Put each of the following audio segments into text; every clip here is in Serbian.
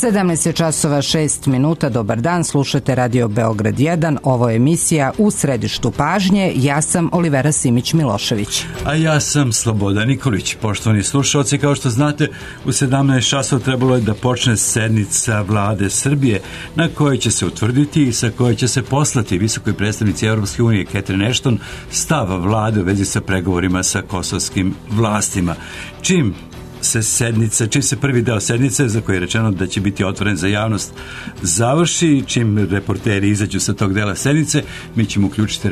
17 časova 6 minuta, dobar dan, slušate Radio Beograd 1, ovo je emisija U središtu pažnje, ja sam Olivera Simić-Milošević. A ja sam Slobodan Nikolić. Poštovani slušalci, kao što znate, u 17 časova trebalo je da počne sednica Vlade Srbije, na kojoj će se utvrditi i sa kojoj će se poslati visokoj predstavnici Evropske unije Catherine Ashton stav vlade u vezi sa pregovorima sa kosovskim vlastima. Čim se prvi deo sednice, za koji je rečeno da će biti otvoren za javnost, završi, čim reporteri izađu sa tog dela sednice, mi ćemo uključiti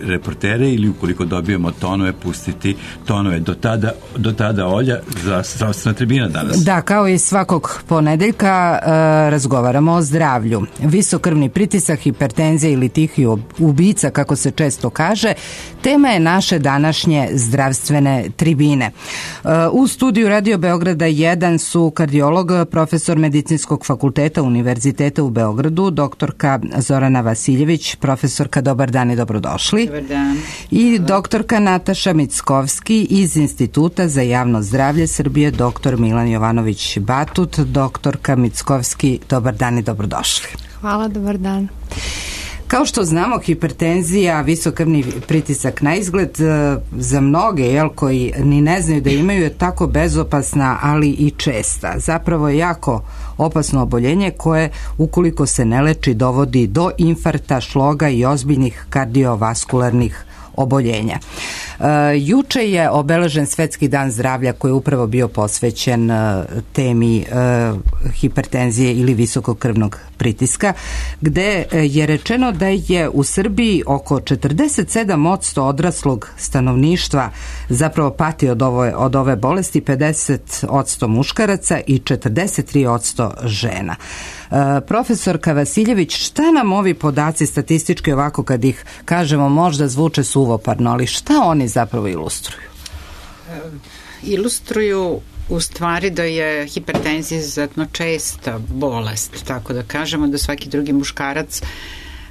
reportere ili ukoliko dobijemo tonove, pustiti tonove. Do tada Olja, zdravstvena tribina danas. Da, kao i svakog ponedeljka razgovaramo o zdravlju. Visok krvni pritisak, hipertenzija ili tihi ubica, kako se često kaže, tema je naše današnje zdravstvene tribine. U studiju Radio Beograda 1 su kardiolog, profesor Medicinskog fakulteta Univerziteta u Beogradu, doktorka Zorana Vasiljević. Profesorka, dobar dan i dobrodošli. Dobar dan. I doktorka Nataša Mickovski iz Instituta za javno zdravlje Srbije, doktor Milan Jovanović Batut. Doktorka Mickovski, dobar dan i dobrodošli. Hvala, dobar dan. Kao što znamo, hipertenzija, visok krvni pritisak na izgled za mnoge koji ni ne znaju da imaju, je tako bezopasna, ali i česta. Zapravo je jako opasno oboljenje koje, ukoliko se ne leči, dovodi do infarkta, šloga i ozbiljnih kardiovaskularnih oboljenja. Juče je obeležen Svetski dan zdravlja koji je upravo bio posvećen temi hipertenzije ili visokog krvnog pritiska, gde je rečeno da je u Srbiji oko 47% odraslog stanovništva zapravo pati od ove bolesti, 50% muškaraca i 43% žena. Profesorka Vasiljević, šta nam ovi podaci statistički, ovako kad ih kažemo, možda zvuče suvoparno, ali šta oni zapravo ilustruju? Ilustruju u stvari da je hipertenzija izuzetno česta bolest, tako da kažemo da svaki drugi muškarac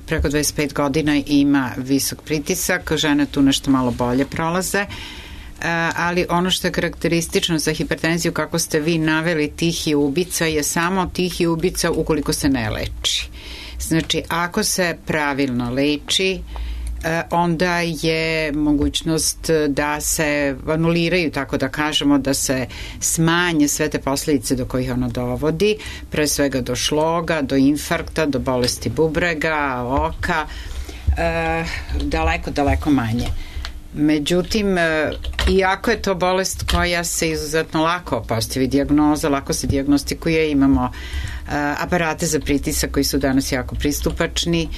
preko 25 godina ima visok pritisak, žene tu nešto malo bolje prolaze, ali ono što je karakteristično za hipertenziju, kako ste vi naveli, tihi ubica, je samo tihi ubica ukoliko se ne leči. Znači, ako se pravilno leči, onda je mogućnost da se anuliraju, tako da kažemo, da se smanje sve te posljedice do kojih ono dovodi, pre svega do šloga, do infarkta, do bolesti bubrega, oka, daleko manje. Međutim, iako je to bolest koja se izuzetno lako postavi dijagnoza, lako se dijagnostikuje, imamo aparate za pritisak koji su danas jako pristupačni,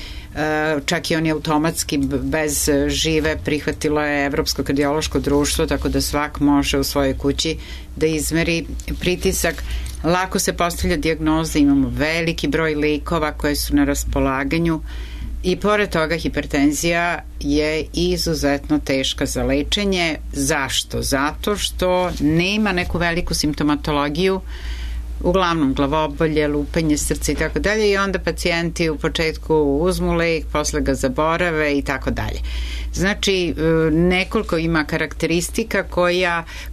čak i oni automatski bez žive prihvatilo je Evropsko kardiološko društvo, tako da svak može u svojoj kući da izmeri pritisak. Lako se postavlja dijagnoza, imamo veliki broj lekova koje su na raspolaganju. I pored toga hipertenzija je izuzetno teška za lečenje. Zašto? Zato što nema neku veliku simptomatologiju, uglavnom glavobolje, lupanje srca i tako dalje, i onda pacijenti u početku uzmu lek, posle ga zaborave i tako dalje. Znači, nekoliko ima karakteristika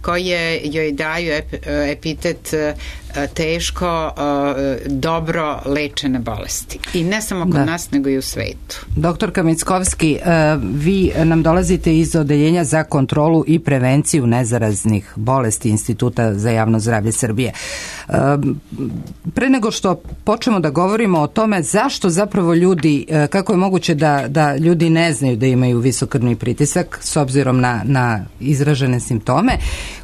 koje joj daju epitet teško, dobro lečene bolesti. I ne samo kod nas, nego i u svetu. Doktorka Mickovski, vi nam dolazite iz Odeljenja za kontrolu i prevenciju nezaraznih bolesti Instituta za javno zdravlje Srbije. Pre nego što počnemo da govorimo o tome zašto zapravo ljudi, kako je moguće da ljudi ne znaju da imaju visok krvni pritisak s obzirom na izražene simptome,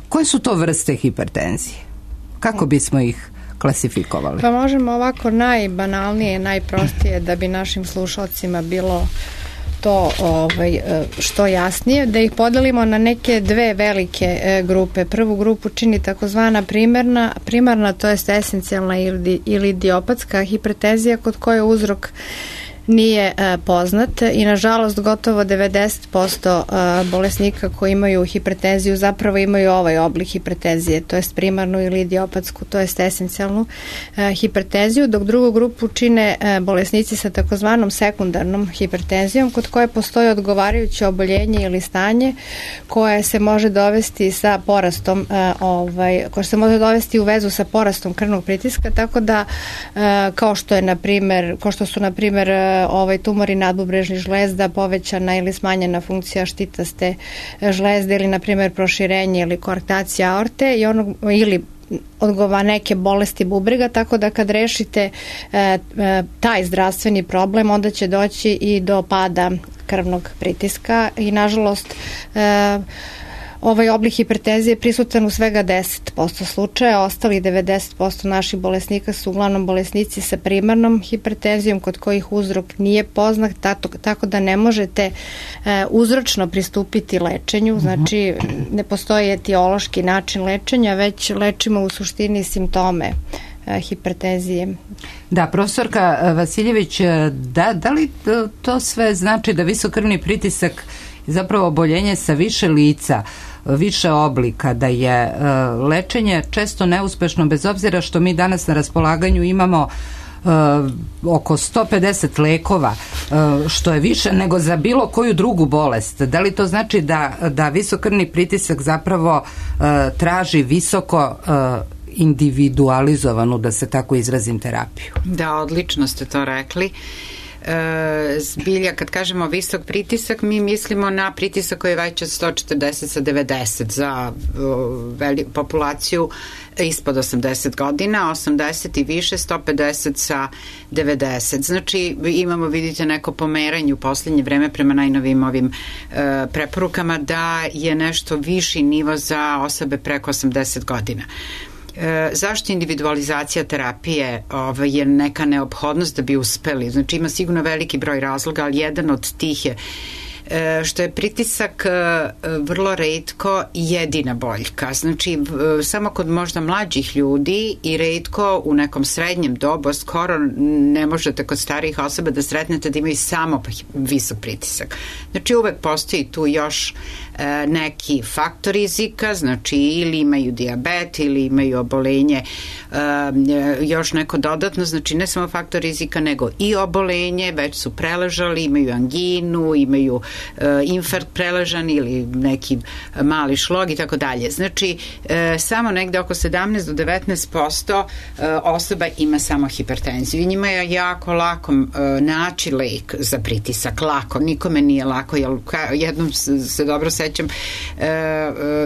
koje su to vrste hipertenzije? Kako bismo ih klasifikovali? Pa možemo ovako najbanalnije, najprostije, da bi našim slušalcima bilo to što jasnije, da ih podelimo na neke dve velike grupe. Prvu grupu čini takozvana primarna, to jest esencijalna ili idiopatska hipertenzija, kod koje uzrok nije poznat i nažalost gotovo 90% bolesnika koji imaju hipertenziju zapravo imaju ovaj oblik hipertenzije, to jest primarnu ili idiopatsku, to jest esencijalnu hipertenziju, dok drugu grupu čine bolesnici sa takozvanom sekundarnom hipertenzijom kod koje postoji odgovarajuće oboljenje ili stanje koje se može dovesti sa porastom koje se može dovesti u vezu sa porastom krvnog pritiska, tako da kao što su na primjer tumori nadbubrežnih žlezda, povećana ili smanjena funkcija štitaste žlezde ili na primjer proširenje ili koarktacija aorte ili neke bolesti bubrega, tako da kad rešite taj zdravstveni problem, onda će doći i do pada krvnog pritiska i nažalost ovaj oblik hipertenzije je prisutan u svega 10% slučaja, ostali 90% naših bolesnika su uglavnom bolesnici sa primarnom hipertenzijom kod kojih uzrok nije poznat, tako da ne možete uzročno pristupiti lečenju, znači ne postoji etiološki način lečenja, već lečimo u suštini simptome hipertenzije. Da, profesorka Vasiljević, da li to sve znači da visokrvni pritisak zapravo oboljenje sa više lica, više oblika, da je lečenje često neuspešno bez obzira što mi danas na raspolaganju imamo oko 150 lekova, što je više nego za bilo koju drugu bolest. Da li to znači da visokrvni pritisak zapravo traži visoko individualizovanu, da se tako izrazim, terapiju? Da, odlično ste to rekli. Zbilja, kad kažemo visok pritisak, mi mislimo na pritisak koji je veći od 140 sa 90 za populaciju ispod 80 godina, 80 i više, 150 sa 90. Znači, imamo, vidite, neko pomeranje u poslednje vreme prema najnovim ovim preporukama da je nešto viši nivo za osobe preko 80 godina. Zašto individualizacija terapije je neka neophodnost da bi uspeli? Znači ima sigurno veliki broj razloga, ali jedan od tih je što je pritisak vrlo retko jedina boljka. Znači, samo kod možda mlađih ljudi i retko u nekom srednjem dobu, skoro ne možete kod starijih osoba da sretnete da imaju samo visok pritisak. Znači, uvek postoji tu još neki faktor rizika, znači ili imaju dijabet ili imaju obolenje, još neko dodatno, znači ne samo faktor rizika nego i obolenje, već su preležali, imaju anginu, imaju infarkt preležan ili neki mali šlog i tako dalje. Znači samo negde oko 17 do 19% osoba ima samo hipertenziju i njima je jako lako naći lek za pritisak, lako, nikome nije lako, jer jednom se dobro sećam,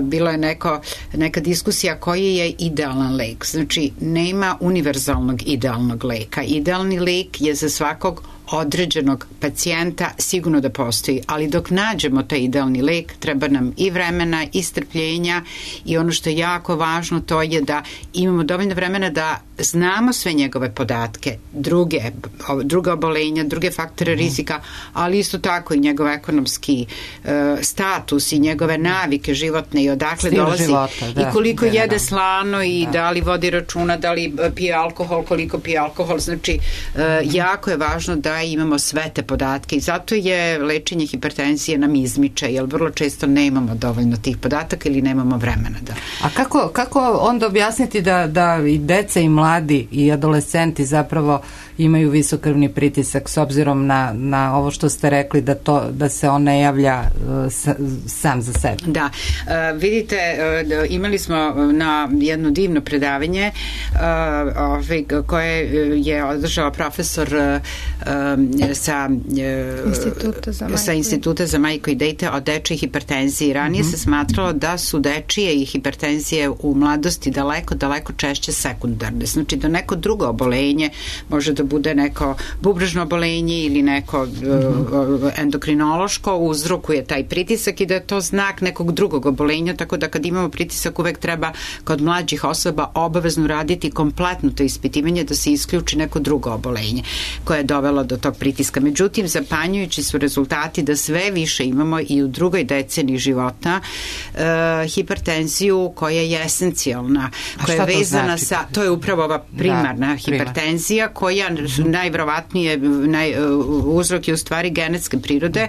bilo je neka diskusija koji je idealan lek. Znači, nema univerzalnog idealnog leka. Idealni lek je za svakog određenog pacijenta sigurno da postoji, ali dok nađemo taj idealni lek, treba nam i vremena i strpljenja i ono što je jako važno to je da imamo dovoljno vremena da znamo sve njegove podatke, druga obolenja, druge faktore rizika, ali isto tako i njegov ekonomski status i njegove navike životne i odakle stil dolazi života, da, i koliko jede slano i da li vodi računa, da li pije alkohol, koliko pije alkohol. Znači, jako je važno da imamo sve te podatke i zato je lečenje hipertenzije nam izmiče, jer vrlo često nemamo dovoljno tih podataka ili nemamo vremena. Da. A kako onda objasniti da i deca i mladi i adolescenti zapravo imaju visokrvni pritisak s obzirom na ovo što ste rekli da se on ne javlja sam za sebe? Da, vidite, imali smo na jedno divno predavanje koje je održao profesor sa Instituta za majku i dete o dečoj hipertenziji. Ranije se smatralo da su dečije i hipertenzije u mladosti daleko češće sekundarne. Znači da neko drugo obolenje može da bude neko bubrežno obolenje ili neko endokrinološko uzrokuje taj pritisak i da je to znak nekog drugog obolenja, tako da kad imamo pritisak uvek treba kod mlađih osoba obavezno raditi kompletno to ispitivanje da se isključi neko drugo obolenje koje je dovelo do tog pritiska. Međutim, zapanjujući su rezultati da sve više imamo i u drugoj deceniji života hipertenziju koja je esencijalna, koja je vezana sa, to je upravo ova primarna hipertenzija koja najverovatnije uzrok je u stvari genetske prirode,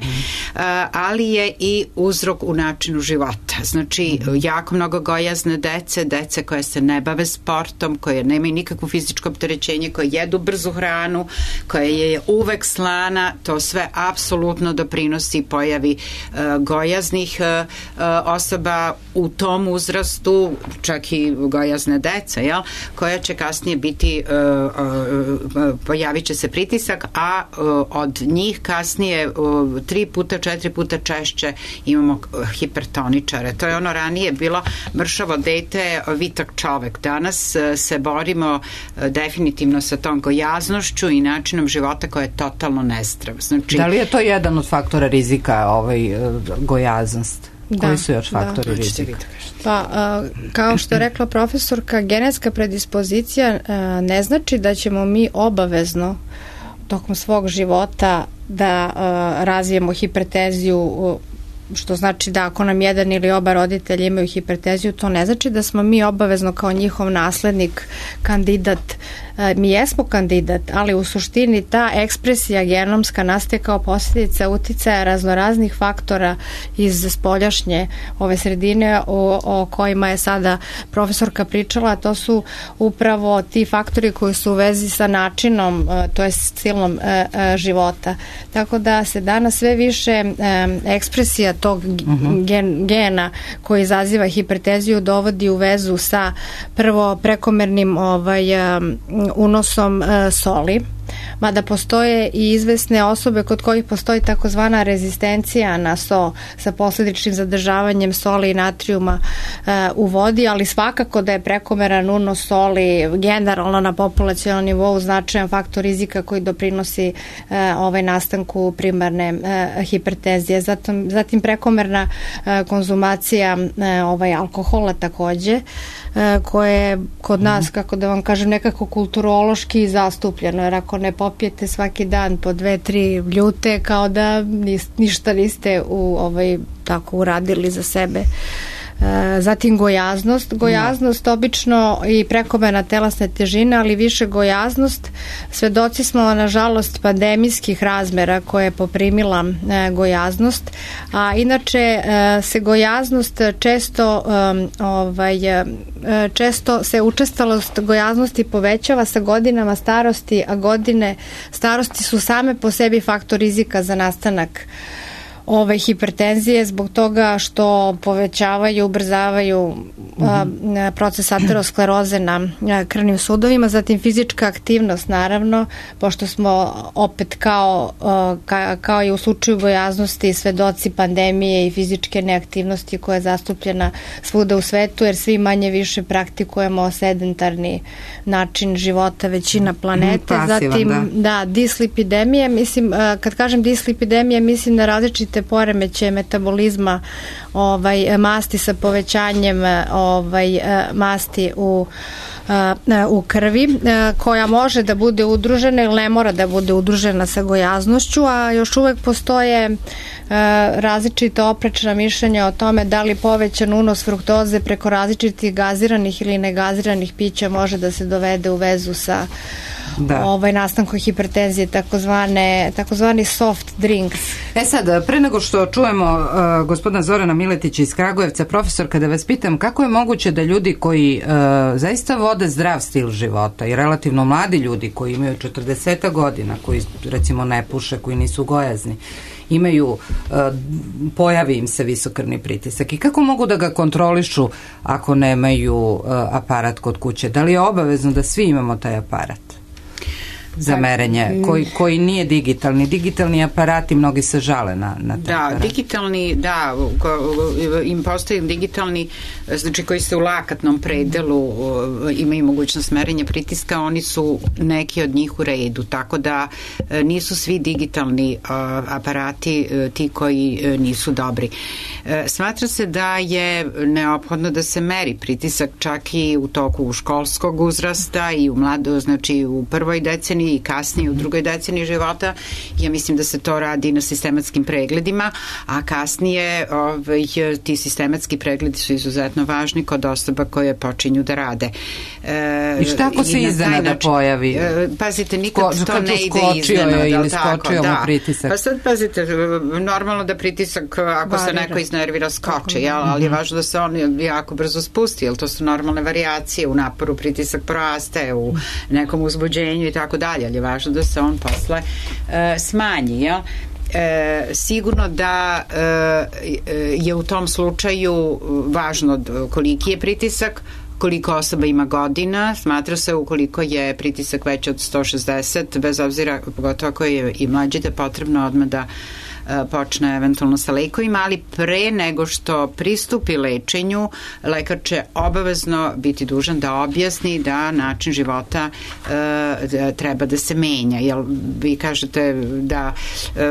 ali je i uzrok u načinu života. Znači, jako mnogo gojazne dece koje se ne bave sportom, koje nemaju nikakvo fizičko opterećenje, koje jedu brzu hranu, koja je uvek slana, to sve apsolutno doprinosi pojavi gojaznih osoba u tom uzrastu, čak i gojazne deca, koja će kasnije biti, pojavit će se pritisak, a od njih kasnije 3 puta, 4 puta češće imamo hipertoničare. To je ono ranije bilo mršavo dete, vitak čovek. Danas se borimo definitivno sa tom gojaznošću i načinom života koja je totalno nezdrav. Znači, da li je to jedan od faktora rizika, gojaznost? Koji su još faktori rizika? Pa, kao što je rekla profesorka, genetska predispozicija ne znači da ćemo mi obavezno tokom svog života da razvijemo hipertenziju, što znači da ako nam jedan ili oba roditelja imaju hipertenziju, to ne znači da smo mi obavezno kao njihov naslednik, kandidat. Mi jesmo kandidat, ali u suštini ta ekspresija genomska nastaje kao posljedica uticaja raznoraznih faktora iz spoljašnje ove sredine o kojima je sada profesorka pričala. To su upravo ti faktori koji su u vezi sa načinom, to je stilom života. Tako da se danas sve više ekspresija tog gena koji izaziva hipertenziju dovodi u vezu sa prvo prekomernim unosom soli, mada postoje i izvesne osobe kod kojih postoji takozvana rezistencija na so sa posledičnim zadržavanjem soli i natrijuma u vodi, ali svakako da je prekomeran unos soli generalno na populacionalnom nivou značajan faktor rizika koji doprinosi nastanku primarne hipertenzije. Zatim prekomerna konzumacija alkohola takođe, koje je kod nas, kako da vam kažem, nekako kulturološki zastupljeno, jer ako ne popijete svaki dan po 2-3 ljute, kao da ništa niste tako uradili za sebe. Zatim gojaznost obično i prekomerna telesne težine, ali više gojaznost. Svedoci smo nažalost pandemijskih razmera koje je poprimila gojaznost, a inače se gojaznost često se učestalost gojaznosti povećava sa godinama starosti, a godine starosti su same po sebi faktor rizika za nastanak hipertenzije zbog toga što povećavaju, ubrzavaju proces ateroskleroze na krvnim sudovima, zatim fizička aktivnost naravno, pošto smo opet kao i u slučaju gojaznosti svedoci pandemije i fizičke neaktivnosti koja je zastupljena svuda u svetu, jer svi manje više praktikujemo sedentarni način života većina planete. Zatim dislipidemije, mislim, kad kažem dislipidemije, mislim na različite poremećaje metabolizma masti sa povećanjem masti u krvi, koja može da bude udružena ili ne mora da bude udružena sa gojaznošću, a još uvek postoje različita oprečna mišljenja o tome da li povećan unos fruktoze preko različitih gaziranih ili negaziranih pića može da se dovede u vezu sa nastankom hipertenzije, takozvani soft drinks. Sad, pre nego što čujemo gospodina Zorana Miletića iz Kragujevca, profesor, kada vas pitam kako je moguće da ljudi koji zaista vode zdrav stil života i relativno mladi ljudi koji imaju 40 godina, koji recimo ne puše, koji nisu gojazni, pojavi im se visokrvni pritisak i kako mogu da ga kontrolišu ako nemaju aparat kod kuće? Da li je obavezno da svi imamo taj aparat za merenje, koji nije digitalni? Digitalni aparati, mnogi se žale na taj aparat. Digitalni, im postoji digitalni, znači koji se u lakatnom predelu imaju mogućnost merenja pritiska, oni su neki od njih u redu, tako da nisu svi digitalni aparati ti koji nisu dobri. Smatra se da je neophodno da se meri pritisak čak i u toku školskog uzrasta i u prvoj deceniji deceniji i kasnije u drugoj deceniji života. Ja mislim da se to radi na sistematskim pregledima, a kasnije ti sistematski pregledi su izuzetno važni kod osoba koje počinju da rade. I šta ako se iznenada pojavi? Pazite, nikad to ne ide iznenada. Ili skočio mu pritisak. Pa sad pazite, normalno da pritisak, ako se neko iznervira, skoče, ali je važno da se on jako brzo spusti, jer to su normalne varijacije u naporu, pritisak poraste, u nekom uzbuđenju i tako dalje, ali je važno da se on posle smanji, jel? Sigurno da je u tom slučaju važno koliki je pritisak, koliko osoba ima godina, smatra se ukoliko je pritisak veći od 160, bez obzira, pogotovo ako je i mlađi, da je potrebno odmah da počne eventualno sa lekovima, ali pre nego što pristupi lečenju, lekar će obavezno biti dužan da objasni da način života treba da se menja. Jel vi kažete da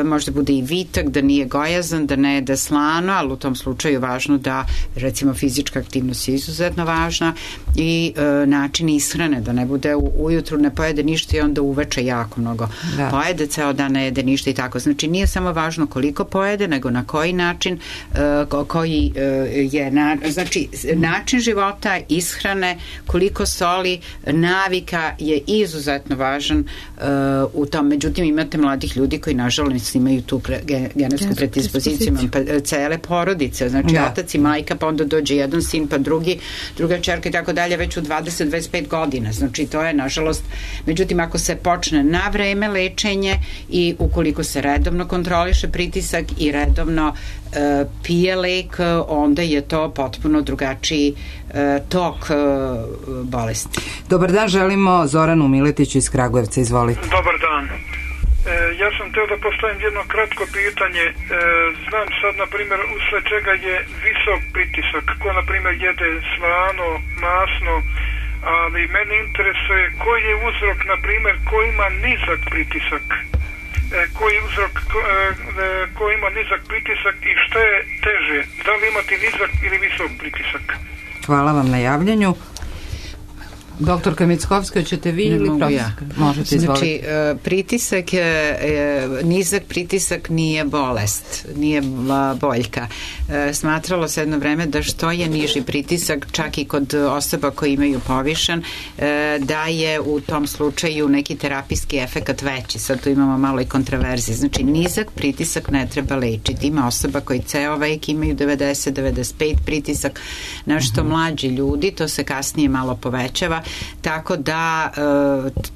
možda bude i vitak, da nije gojazan, da ne jede slano, ali u tom slučaju je važno da, recimo, fizička aktivnost je izuzetno važna i način ishrane, da ne bude ujutru ne pojede ništa i onda uveče jako mnogo pojede, ceo dan ne jede ništa i tako. Znači, nije samo važno koliko pojede, nego na koji način, koji je znači način života, ishrane, koliko soli, navika je izuzetno važan u tom. Međutim, imate mladih ljudi koji nažalost imaju tu genetsku predispoziciju, cele porodice, znači otac i majka, pa onda dođe jedan sin, pa druga ćerka i tako dalje, već u 20-25 godina. Znači, to je nažalost, međutim, ako se počne na vreme lečenje i ukoliko se redovno kontroliše pritisak i redovno pije lek, onda je to potpuno drugačiji tok bolesti. Dobar dan, želimo Zoranu Miletiću iz Kragujevca, izvolite. Dobar dan. Ja sam teo da postavim jedno kratko pitanje. Znam sad, na primjer, usled čega je visok pritisak, ko na primjer jede slano, masno, ali mene interesuje koji je uzrok, na primjer, ko ima nizak pritisak, koji je uzrok ko ima nizak pritisak i šta je teže, da li imati nizak ili visok pritisak? Hvala vam na javljanju. Doktorka Mickovska, hoćete vi ili profesor? Možete, izvoliti. Znači, pritisak, nizak pritisak nije bolest, nije boljka. Smatralo se jedno vreme da što je niži pritisak, čak i kod osoba koji imaju povišen, da je u tom slučaju neki terapijski efekat veći. Sad tu imamo malo i kontraverzije. Znači, nizak pritisak ne treba lečiti. Ima osoba koji ceo vek imaju 90-95 pritisak, nešto mlađi ljudi, to se kasnije malo povećava, tako da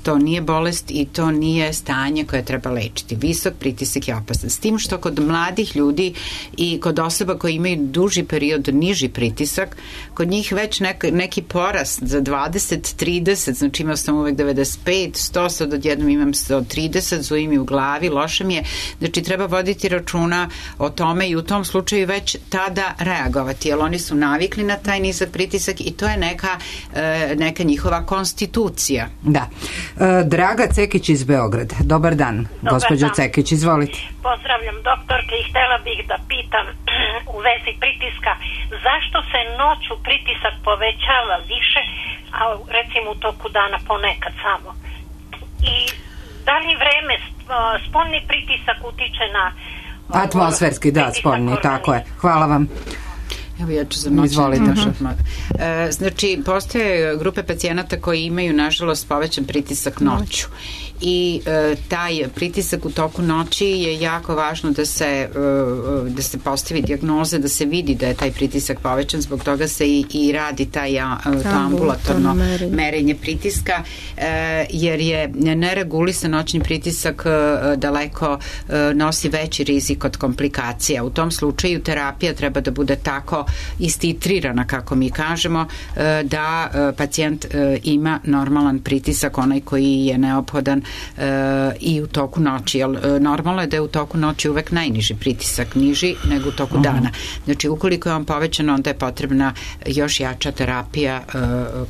to nije bolest i to nije stanje koje treba lečiti. Visok pritisak je opasan. S tim što kod mladih ljudi i kod osoba koji imaju duži period niži pritisak, kod njih već neki porast za 20-30, znači imao sam uvek 95-100, sad odjednom imam 130, zuje mi u glavi, loše mi je. Znači treba voditi računa o tome i u tom slučaju već tada reagovati, jer oni su navikli na taj nizak pritisak i to je neka njihova konstitucija. Da. Draga Cekić iz Beograda. Dobar dan, gospođo Cekić, izvolite. Pozdravljam doktorke i htela bih da pitam u vezi pritiska, zašto se noću pritisak povećava više, a recimo u toku dana ponekad samo? I da li vreme, spoljni pritisak utiče na atmosferski, da, spoljni, tako je. Hvala vam. Evo ja ću za znači, postoje grupe pacijenata koji imaju, nažalost, povećan pritisak noću i taj pritisak u toku noći je jako važno da se postavi dijagnoza, da se vidi da je taj pritisak povećan, zbog toga se i radi to ambulatorno merenje pritiska, jer je neregulisan noćni pritisak daleko nosi veći rizik od komplikacija. U tom slučaju terapija treba da bude tako istitrirana, kako mi kažemo, da pacijent ima normalan pritisak, onaj koji je neophodan i u toku noći. Normalno je da je u toku noći uvek najniži pritisak, niži nego u toku dana. Znači, ukoliko je on povećan, onda je potrebna još jača terapija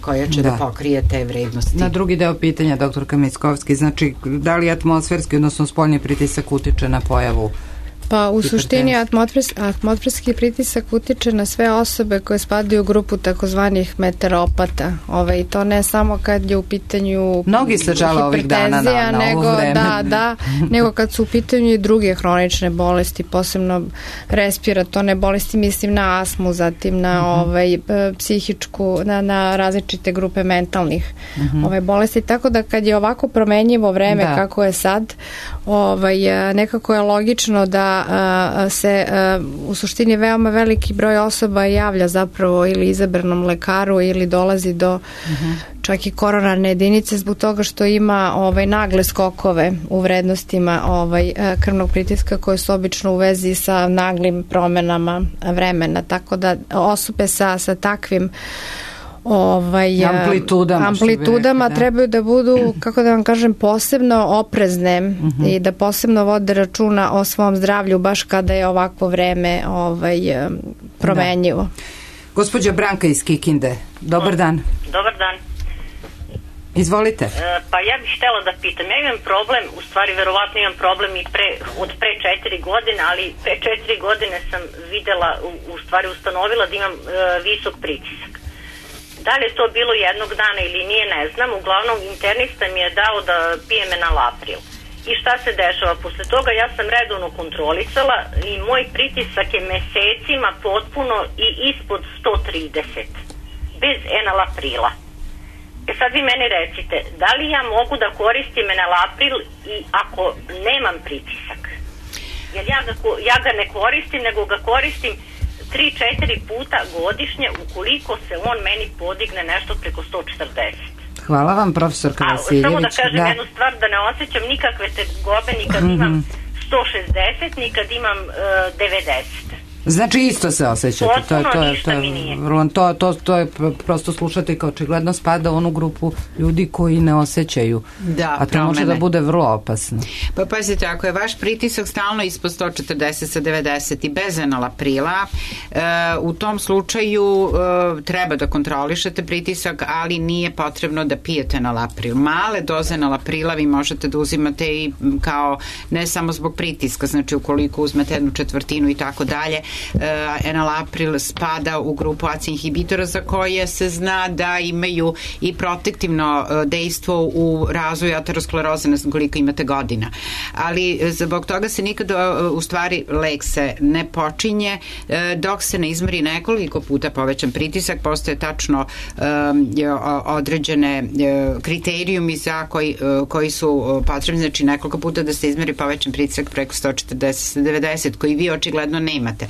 koja će da pokrije te vrednosti. Na drugi deo pitanja, doktorka Mickovski, znači, da li atmosferski, odnosno spoljni pritisak utiče na pojavu Pa u suštini atmosferski pritisak utiče na sve osobe koje spadaju u grupu takozvanih meteoropata. I to ne samo kad je u pitanju mnogi se žale ovih dana na ovo vreme. Nego kad su u pitanju i druge hronične bolesti, posebno respiratorne bolesti, mislim na astmu, zatim na psihičku, na različite grupe mentalnih bolesti. Tako da kad je ovako promenjivo vreme kako je sad, nekako je logično da se u suštini veoma veliki broj osoba javlja zapravo ili izabranom lekaru ili dolazi do čak i koronarne jedinice zbog toga što ima nagle skokove u vrednostima krvnog pritiska koje su obično u vezi sa naglim promenama vremena. Tako da osobe sa takvim amplitudama trebaju da budu, kako da vam kažem, posebno oprezne i da posebno vode računa o svom zdravlju baš kada je ovakvo vreme promenjivo. Gospođa Branka iz Kikinde, dobar dan. Dobar dan. Izvolite. Pa ja bih htjela da pitam, ja imam problem, u stvari verovatno imam problem i od pre 4 godine, ali pre 4 godine sam videla, u stvari ustanovila da imam visok pritisak. Da li je to bilo jednog dana ili nije, ne znam. Uglavnom, internista mi je dao da pijem enalapril. I šta se dešava? Posle toga ja sam redovno kontrolisala i moj pritisak je mesecima potpuno i ispod 130. Bez enalaprila. Sad vi meni recite, da li ja mogu da koristim enalapril i ako nemam pritisak? Jer ja ga ne koristim, nego ga koristim 3-4 puta godišnje ukoliko se on meni podigne nešto preko 140. Hvala vam, profesorka Vasiljević. Samo da kažem jednu stvar, da ne osjećam nikakve tegobe ni kad imam 160, ni kad imam 90. Znači isto se osjećate. Potpuno ništa mi nije. To je prosto slušateljka očigledno spada u onu grupu ljudi koji ne osjećaju. A to može da bude vrlo opasno. Pa pazite, ako je vaš pritisak stalno ispod 140 sa 90 i bez enalaprila, u tom slučaju treba da kontrolišete pritisak, ali nije potrebno da pijete enalapril. Male doze enalaprila vi možete da uzimate i kao ne samo zbog pritiska, znači ukoliko uzmete 1/4 i tako dalje. Enalapril spada u grupu ACE inhibitora za koje se zna da imaju i protektivno dejstvo u razvoju ateroskleroze, ne znam koliko imate godina. Ali zbog toga se nikada, u stvari, lek se ne počinje dok se ne izmeri nekoliko puta povećan pritisak. Postoje tačno određene kriterijumi za koji su potrebni, znači nekoliko puta da se izmeri povećan pritisak preko 140-90 koji vi očigledno nemate.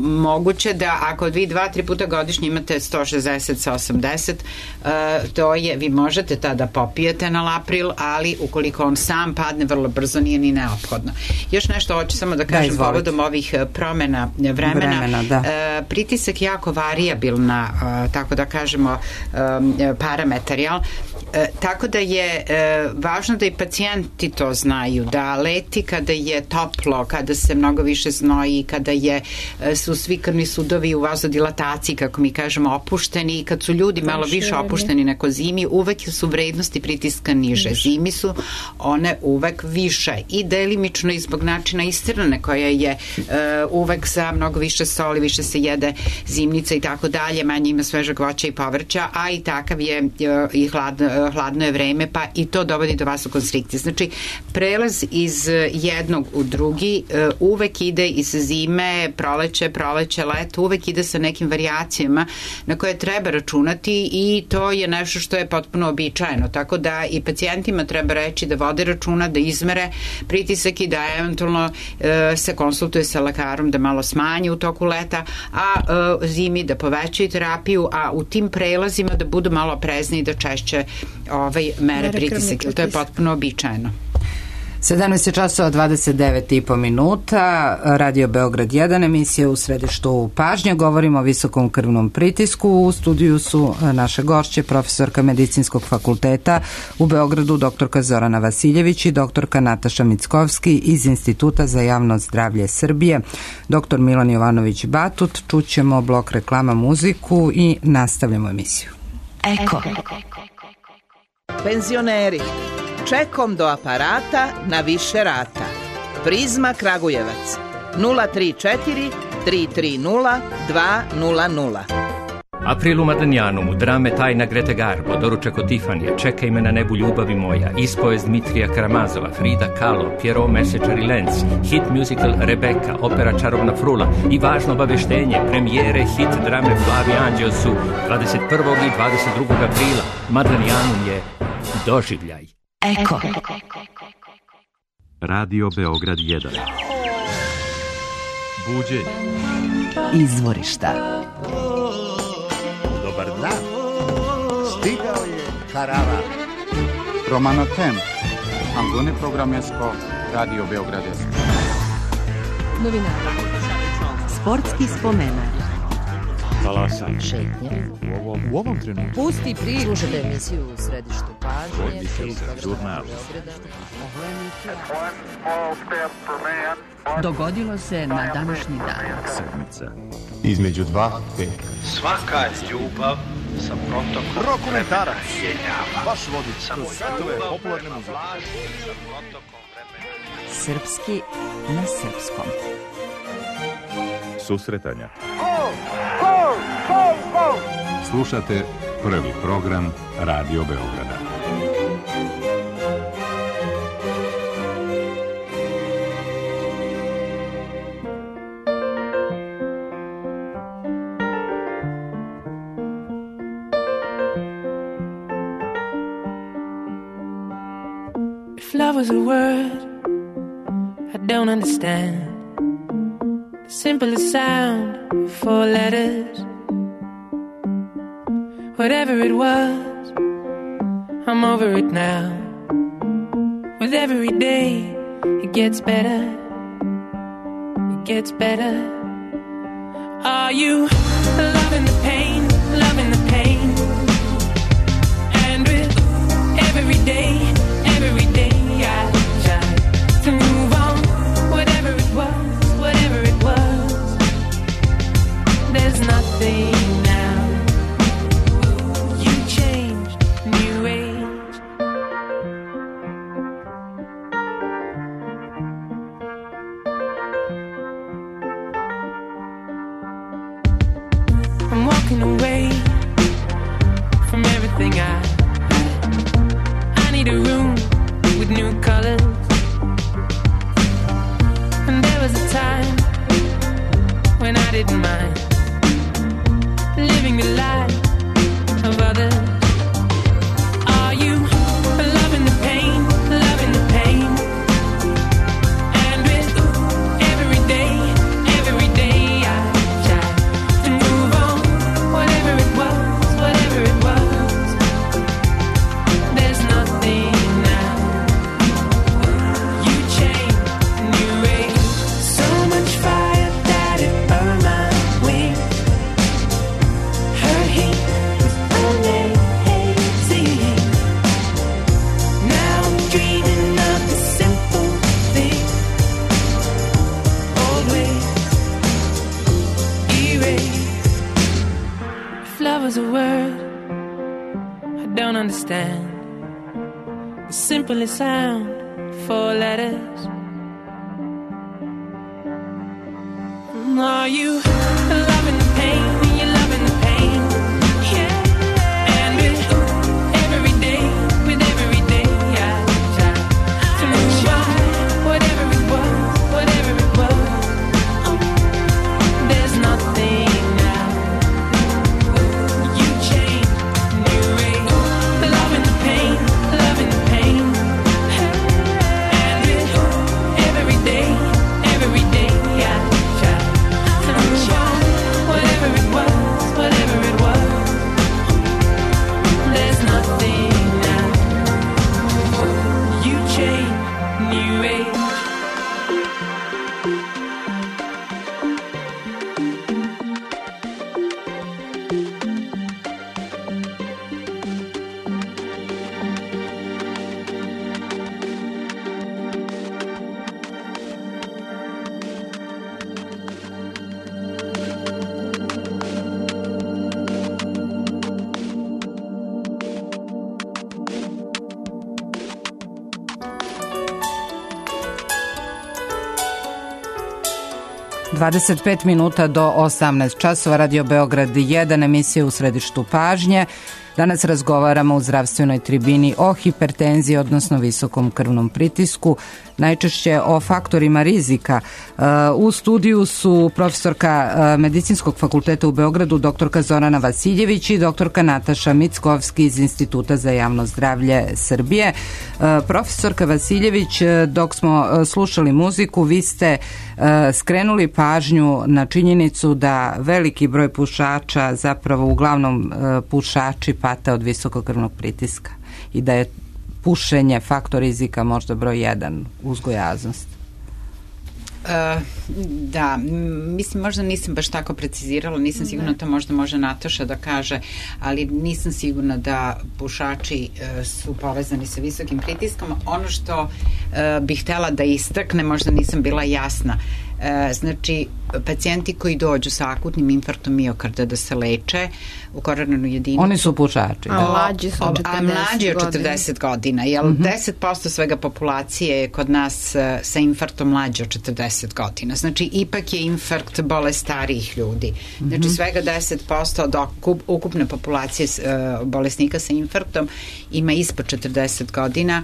Moguće da ako vi 2-3 puta godišnje imate 160 sa 80, to je, vi možete tada popijete enalapril, ali ukoliko on sam padne vrlo brzo nije ni neophodno. Još nešto hoću samo da kažem povodom ovih promena vremena. Pritisak je jako varijabilna, tako da kažemo, parametar, jel? Tako da je važno da i pacijenti to znaju, da leti kada je toplo, kada se mnogo više znoji, kada su svi krvni sudovi u vazodilataciji, kako mi kažemo, opušteni, i kad su ljudi malo više opušteni nego zimi, uvek su vrednosti pritiska niže. Zimi su one uvek više i delimično i zbog načina ishrane koja je uvek sa mnogo više soli, više se jede zimnica i tako dalje, manje ima svežeg voća i povrća, a i takav je i hladno je vreme, pa i to dovodi do vasokonstrikcije. Znači, prelaz iz jednog u drugi uvek ide iz zime, proleće, leto, uvek ide sa nekim varijacijama na koje treba računati i to je nešto što je potpuno običajeno. Tako da i pacijentima treba reći da vode računa, da izmere pritisak i da eventualno se konsultuje sa lekarom da malo smanji u toku leta, a zimi da povećaju terapiju, a u tim prelazima da budu malo oprezni i da češće mere pritisak, jer to je potpuno običajno. 17:29 minuta, Radio Beograd 1, emisija U središtu pažnje. Govorimo o visokom krvnom pritisku. U studiju su naše gošće, profesorka Medicinskog fakulteta u Beogradu, doktorka Zorana Vasiljević i doktorka Nataša Mickovski iz Instituta za javno zdravlje Srbije, doktor Milan Jovanović Batut. Čućemo blok reklama, muziku i nastavljamo emisiju. Eko. Penzioneri, čekom do aparata na više rata. Prizma Kragujevac 034 330 200. April u Madanjanu, drame Tajna Grete Garbo, doručak od Tifanija, Čekaj me na nebu ljubavi moja, ispovest Dmitrija Karamazova, Frida Kahlo, Pierrot Mesečar i Lenz, hit musical Rebeka, opera Čarobna frula i važno obaveštenje, premijere hit drame Plavi anđeo su 21. i 22. aprila. Madanjanum je doživljaj. Eko. Radio Beograd 1. Buđenje. Izvorišta. Dobar dan. Stigao je Karava. Romano Tem. Angone Programesko. Radio Beograd 1. Novinari. Sportski spomenar. Talasan. Šetnje. U ovom trenutku. Pusti priču. Slušajte emisiju u središtu pažnje. Žurnal. Dogodilo se na današnji dan. Sedmica. Između 2 5. Svaka ljubav sa protokom Rokomentarac. vremena. Baš vodi kroz svetove popularne muzike. Srpski na srpskom. Susretanja. Slušate prvi program Radio Beograda. If love was a word I don't understand, the simplest sound, 4 letters. Whatever it was, I'm over it now. With every day, it gets better. It gets better. Are you loving the pain, loving the pain? And with every day I try to move on. Whatever it was, there's nothing now. You changed, new age. I'm walking away from everything I need a room with new colors. And there was a time when I didn't mind living the life of others. Are you loving the pain, loving the pain? And with every day I try to move on. Whatever it was, there's nothing now. You changed, new age. So much fire that it burned my wings. Her heat was amazing. Now I'm dreaming of the simple thing. Old ways erased. If love was a word I don't understand, the simplest sound, 4 letters. Are you loving the pain? You're loving the pain, yeah. And with every day I try to move on. Whatever it was, there's nothing now. You changed, new age. Loving the pain, loving the pain. And with every day I try to move on. 25 minuta do 18 časova, Radio Beograd 1, emisija u središtu pažnje. Danas razgovaramo u zdravstvenoj tribini o hipertenziji, odnosno visokom krvnom pritisku, najčešće o faktorima rizika. U studiju su profesorka Medicinskog fakulteta u Beogradu, doktorka Zorana Vasiljević i doktorka Nataša Mickovski iz Instituta za javno zdravlje Srbije. Profesorka Vasiljević, dok smo slušali muziku, vi ste skrenuli pažnju na činjenicu da veliki broj pušača, zapravo uglavnom pušači, pate od visokog krvnog pritiska i da je pušenje faktor rizika možda broj 1 uzgojaznost. Da, mislim, možda nisam baš tako precizirala, nisam sigurna, to možda može Nataša da kaže, ali nisam sigurna da pušači su povezani sa visokim pritiskom. Ono što bih htela da istakne, možda nisam bila jasna, znači pacijenti koji dođu sa akutnim infarktom miokarda da se leče u koronarnu jedinicu, oni su pušači, a mlađi su od 40 a mlađi od 40 godina, jer 10% svega populacije je kod nas sa infarktom mlađe od 40 godina. Znači ipak je infarkt bolest starijih ljudi. Znači svega 10% od ukupne populacije bolesnika sa infarktom ima ispod 40 godina.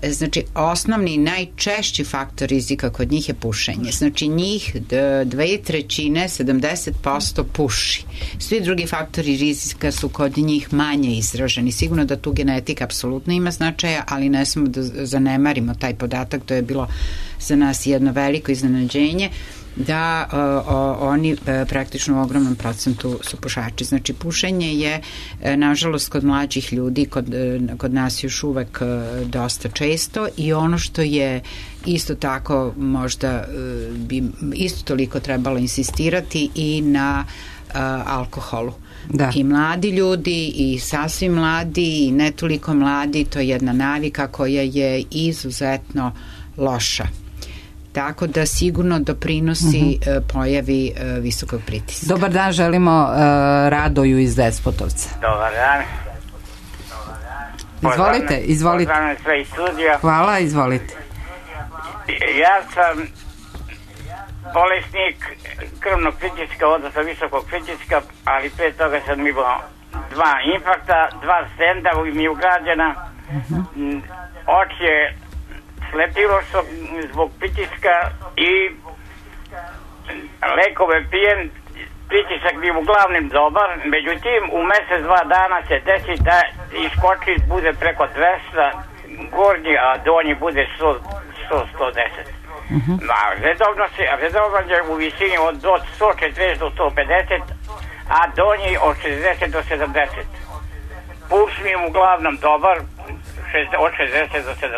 Znači osnovni najčešći faktor rizika kod njih je pušenje. Znači njih 2/3, 70% puši. Svi drugi faktori rizika su kod njih manje izraženi. Sigurno da tu genetika apsolutno ima značaja, ali ne smemo da zanemarimo taj podatak. To je bilo za nas jedno veliko iznenađenje da oni praktično u ogromnom procentu su pušači. Znači pušenje je nažalost kod mlađih ljudi kod nas još uvek dosta često i ono što je isto tako možda bi isto toliko trebalo insistirati i na alkoholu. Da. I mladi ljudi i sasvim mladi i ne toliko mladi, to je jedna navika koja je izuzetno loša. Tako da sigurno doprinosi pojavi visokog pritiska. Dobar dan, želimo Radoju iz Despotovca. Dobar dan. Izvolite. Pozdravljam sve iz studija. Hvala, izvolite. Ja sam bolesnik krvnog pritiska, odnosno visokog pritiska, ali pre toga sam imao 2 infarkta, 2 stenda mi je ugrađena. Oči je slepilo zbog pritiska i lekove pijem, pritisak bi uglavnom dobar, međutim u mesec 2 dana se desi da iskoči, bude preko 200 gornji, a donji bude 100-110. Redovno je u visini od 140 do 150, a donji od 60 do 70. Puls mi je uglavnom dobar, od 60 do 70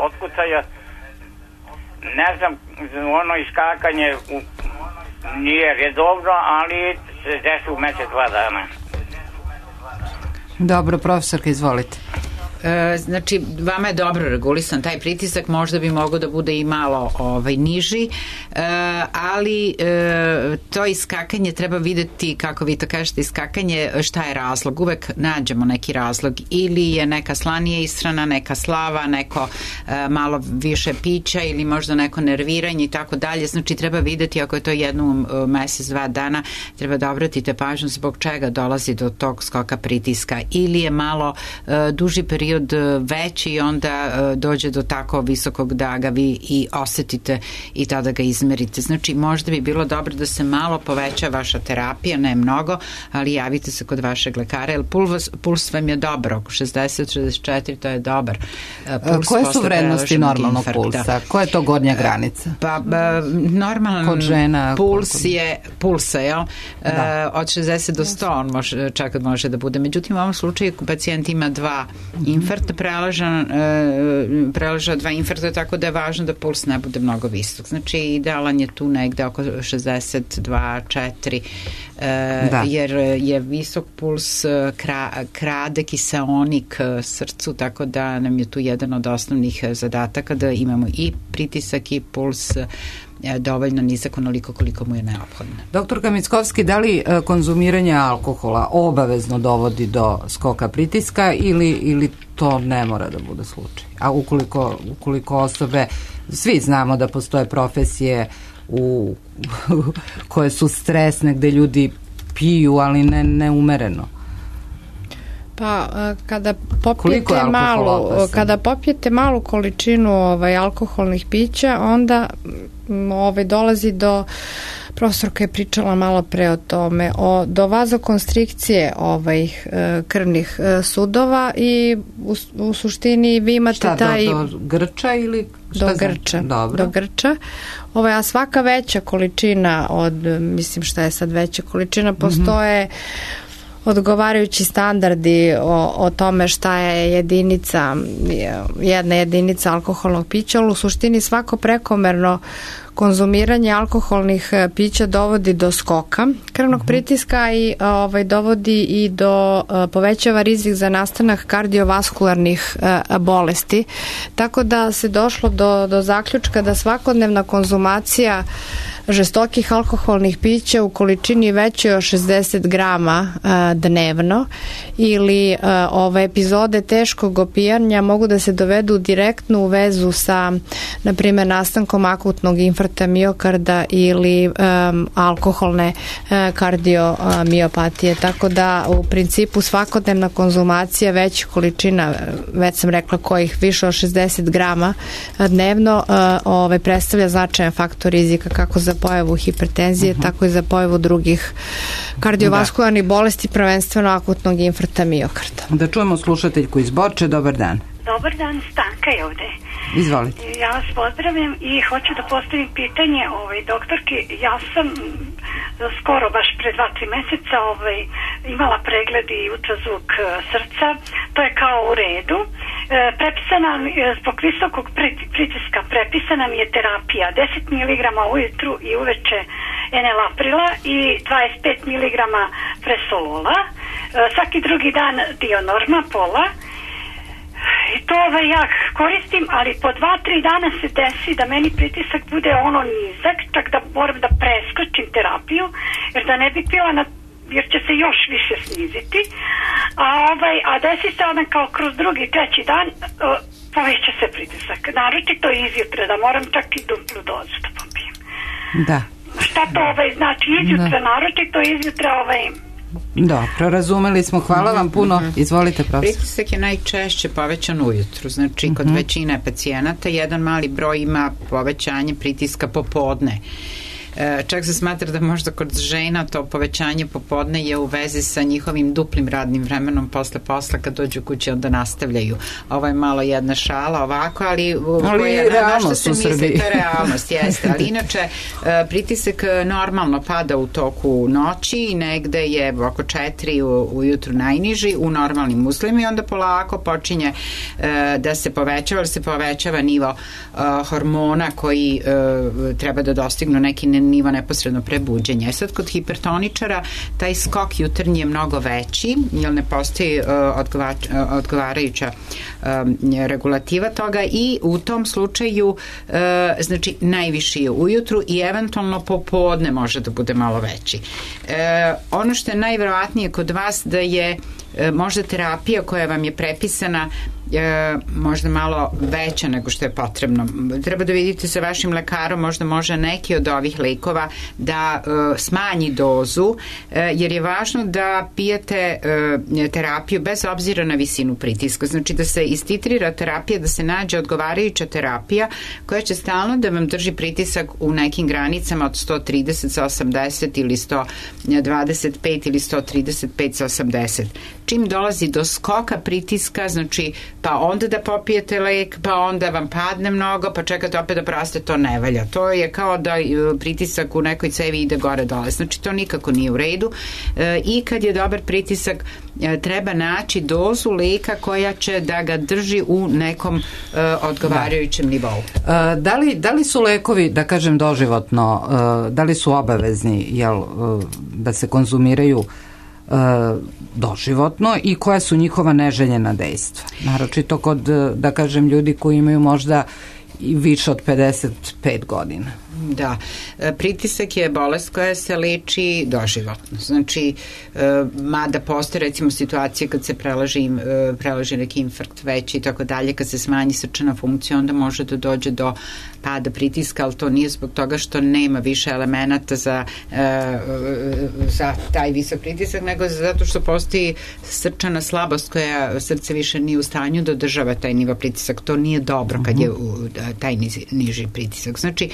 otkucaja. Ne znam, ono iskakanje nije redovno, ali se desi u mesec 2 dana. Dobro, profesorka, izvolite. Znači, vama je dobro regulisan taj pritisak, možda bi mogao da bude i malo niži, ali to iskakanje treba videti, kako vi to kažete, iskakanje, šta je razlog. Uvek nađemo neki razlog, ili je neka slanija ishrana, neka slava, neko malo više pića ili možda neko nerviranje i tako dalje. Znači, treba videti, ako je to jednom mesec, 2 dana, treba da obratite pažnju zbog čega dolazi do tog skoka pritiska, ili je malo duži period veći i onda dođe do tako visokog da ga vi i osetite i tada ga izmerite. Znači možda bi bilo dobro da se malo poveća vaša terapija, ne mnogo, ali javite se kod vašeg lekara, jer puls vam je dobar, oko 60-64, to je dobar puls. Koje su vrednosti normalnog pulsa? Koja je to gornja granica? Pa normalan žena, puls je pulsa, jel? Od 60 do 100 on čak može da bude. Međutim, u ovom slučaju pacijent ima 2 infarkta, preleža 2 infarkta, tako da je važno da puls ne bude mnogo visok. Znači, idealan je tu negde oko 62-4, jer je visok puls krade kiseonik srcu, tako da nam je tu jedan od osnovnih zadataka da imamo i pritisak i puls dovoljno nizak, onoliko koliko mu je neophodno. Doktorka Mickovski, da li konzumiranje alkohola obavezno dovodi do skoka pritiska ili to ne mora da bude slučaj? A ukoliko osobe, svi znamo da postoje profesije koje su stresne, gde ljudi piju, ali ne umereno. Pa kada popijete malu količinu alkoholnih pića, onda dolazi do, profesorka je pričala malo pre o tome, do vazokonstrikcije krvnih sudova i u suštini vi imate do grča ili do grča. A svaka veća količina mislim šta je sad veća količina, postoje odgovarajući standardi o tome šta je jedna jedinica alkoholnog pića, ali u suštini svako prekomerno konzumiranje alkoholnih pića dovodi do skoka krvnog pritiska i dovodi i do povećava rizik za nastanak kardiovaskularnih bolesti. Tako da se došlo do zaključka da svakodnevna konzumacija žestokih alkoholnih pića u količini većoj od 60 grama dnevno ili epizode teškog opijanja mogu da se dovedu direktno u vezu sa, na primjer, nastankom akutnog infarkta miokarda ili alkoholne kardiomiopatije. Tako da u principu svakodnevna konzumacija većih količina, već sam rekla kojih više od 60 grama dnevno, predstavlja značajan faktor rizika kako za pojavu hipertenzije, tako i za pojavu drugih kardiovaskularnih bolesti, prvenstveno akutnog infarkta miokarda. Da čujemo slušateljku iz Borče. Dobar dan. Dobar dan, Stanka je ovde. Izvolite. Ja vas pozdravljam i hoću da postavim pitanje doktorki. Ja sam skoro, baš pre 2-3 meseca imala pregled i ultrazvuk srca. To je kao u redu. Prepisana, zbog visokog pritiska prepisana mi je terapija 10 mg ujutru i uveče enalaprila i 25 mg presolola. Svaki drugi dan Dionorma pola. I to ja koristim, ali po 2-3 dana se desi da meni pritisak bude nizak, čak da moram da preskočim terapiju, jer da ne bi pila jer će se još više sniziti. A desi se kao kroz drugi, treći dan poveća se pritisak. Naročito izjutra, da moram čak i duplu dozu da popijem. Da. Šta to znači izjutra, naročito izjutra Dobro, razumeli smo. Hvala vam puno. Izvolite, profesor. Pritisak je najčešće povećan ujutru. Znači, kod većine pacijenata jedan mali broj ima povećanje pritiska popodne. Čak se smatra da možda kod žena to povećanje popodne je u vezi sa njihovim duplim radnim vremenom posle posla, kad dođu kući onda nastavljaju. Ovo je malo jedna šala ovako, ali realnost u Srbiji. To je realnost, jeste. Ali inače, pritisak normalno pada u toku noći i negde je oko 4 ujutru najniži u normalnim uslovima i onda polako počinje da se povećava, jer se povećava nivo hormona koji treba da dostignu neki nivo neposredno prebuđenja. Sad kod hipertoničara taj skok jutarnji je mnogo veći, jer ne postoji odgovarajuća regulativa toga i u tom slučaju znači najviši je ujutru i eventualno popodne može da bude malo veći. Ono što je najverovatnije kod vas da je možda terapija koja vam je prepisana možda malo veća nego što je potrebno. Treba da vidite sa vašim lekarom, možda može neki od ovih lekova da smanji dozu, jer je važno da pijete terapiju bez obzira na visinu pritiska. Znači da se istitrira terapija, da se nađe odgovarajuća terapija koja će stalno da vam drži pritisak u nekim granicama od 130 sa 80 ili 125 ili 135 sa 80. Čim dolazi do skoka pritiska, znači pa onda da popijete lek, pa onda vam padne mnogo, pa čekate opet da praste, to ne valja. To je kao da pritisak u nekoj cevi ide gore dole. Znači to nikako nije u redu. I kad je dobar pritisak, treba naći dozu leka koja će da ga drži u nekom odgovarajućem nivou. Da li su lekovi, da kažem doživotno, da li su obavezni da se konzumiraju doživotno i koja su njihova neželjena dejstva? Naročito kod, da kažem, ljudi koji imaju možda i više od 55 godina. Da, pritisak je bolest koja se leči doživotno. Znači, mada postoje recimo situacije kad se prelaži neki infarkt veći i tako dalje, kad se smanji srčana funkcija, onda može da dođe do pada pritiska, ali to nije zbog toga što nema više elemenata za taj visok pritisak, nego zato što postoji srčana slabost koja srce više nije u stanju da održava taj nivo pritisak. To nije dobro kad je taj niži pritisak. Znači,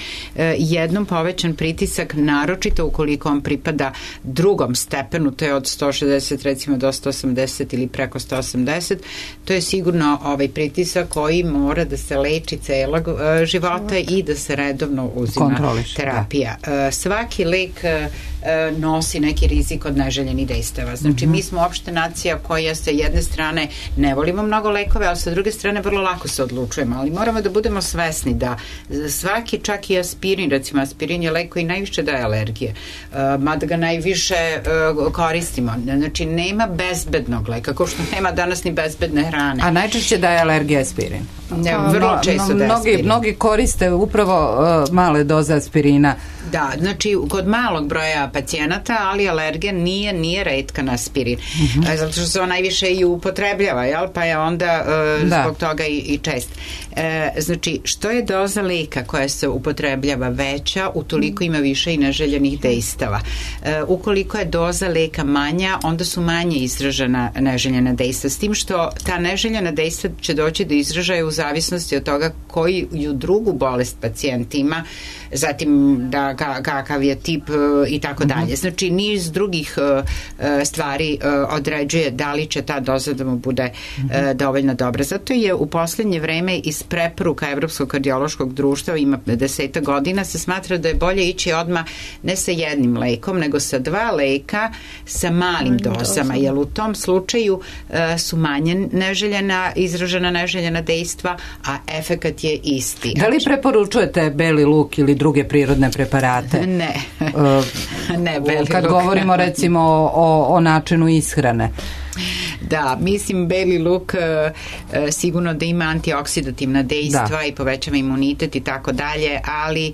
jednom povećan pritisak, naročito ukoliko on pripada drugom stepenu, to je od 160 recimo do 180 ili preko 180, to je sigurno ovaj pritisak koji mora da se leči celog života i da se redovno uzima terapija. Svaki lek nosi neki rizik od neželjenih dejstava. Znači, mi smo opšte nacija koja sa jedne strane ne volimo mnogo lekove, ali sa druge strane vrlo lako se odlučujemo, ali moramo da budemo svesni da svaki, čak i aspirin, recimo aspirin je lek koji najviše daje alergije, mada ga najviše koristimo. Znači, nema bezbednog leka, kao što nema danas ni bezbedne hrane. A najčešće daje alergija aspirin? Vrlo često daje aspirin. Mnogi koriste upravo male doze aspirina. Da, znači kod malog broja pacijenata, ali alergija nije retka na aspirin. Zato što se on najviše i upotrebljava, jel? Pa je onda zbog toga i čest. Znači, što je doza leka koja se upotrebljava veća, utoliko ima više i neželjenih dejstava. Ukoliko je doza leka manja, onda su manje izražena neželjena dejstva. S tim što ta neželjena dejstva će doći do izražaja u zavisnosti od toga koju drugu bolest pacijent ima, zatim da kakav je tip i tako dalje. Znači, niz drugih stvari određuje da li će ta doza da mu bude dovoljno dobra. Zato je u poslednje vreme iz preporuka Evropskog kardiološkog društva, ima 10 godina, se smatra da je bolje ići odmah ne sa jednim lekom, nego sa 2 leka sa malim dozama, jer u tom slučaju su manje izražena neželjena dejstva, a efekat je isti. Da li preporučujete beli luk ili druge prirodne preparate? Ne. Ne beli luk. Kad govorimo recimo o načinu ishrane. Da, mislim beli luk sigurno da ima antioksidativna dejstva i povećava imunitet i tako dalje, ali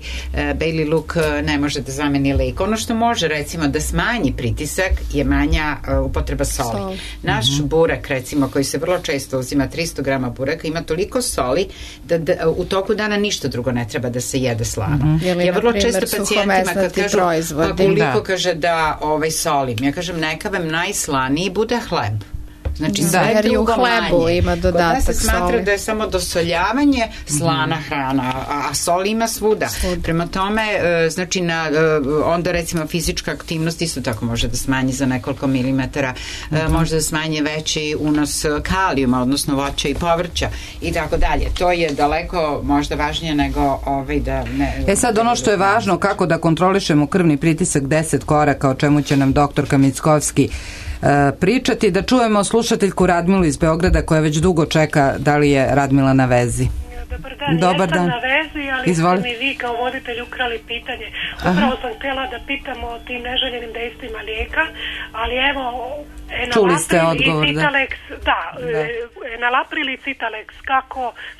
beli luk ne može da zameni lek. Ono što može recimo da smanji pritisak je manja upotreba soli. Naš burak recimo koji se vrlo često uzima, 300 grama bureka, ima toliko soli da u toku dana ništa drugo ne treba da se jede slano. Ja vrlo često pacijentima kad kažu pa koliko kaže da solim, ja kažem neka vam najslaniji bude hleb. Znači, sve drugo manje. Ima dodatak kod nas se smatra da je samo dosoljavanje slana hrana, a sol ima svuda. Prema tome, znači, onda recimo fizička aktivnost isto tako može da smanji za nekoliko milimetara, može da smanji veći unos kalijuma, odnosno voća i povrća i tako dalje. To je daleko možda važnije nego da ne... Sad ono što je važno, kako da kontrolišemo krvni pritisak, 10 koraka, o čemu će nam doktorka Mickovski pričati, da čujemo slušateljku Radmilu iz Beograda koja već dugo čeka. Da li je Radmila na vezi? Dobar dan. Ja sam na vezi, ali ste mi vi kao voditelj ukrali pitanje. Upravo sam htjela da pitam o tim neželjenim dejstvima lijeka, ali evo čuli ste odgovor, Enalapril i Citalex,